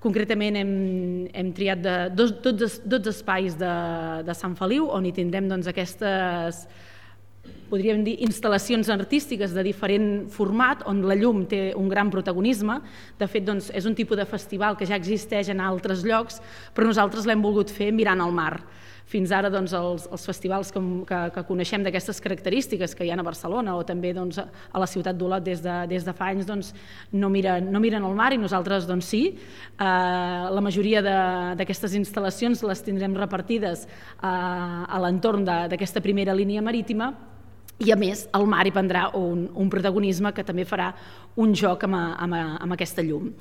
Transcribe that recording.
Concretament hem triat 12 espais de Sant Feliu on hi tindrem aquestes, podríem dir, instal·lacions artístiques de diferent format on la llum té un gran protagonisme. De fet, és un tipus de festival que ja existeix en altres llocs, però nosaltres l'hem volgut fer mirant al mar. Fins ara els festivals que coneixem d'aquestes característiques que hi ha a Barcelona o també a la ciutat d'Olot des de fa anys no miren al mar i nosaltres sí. La majoria d'aquestes instal·lacions les tindrem repartides a l'entorn d'aquesta primera línia marítima i a més el mar hi prendrà un protagonisme que també farà un joc amb aquesta llum.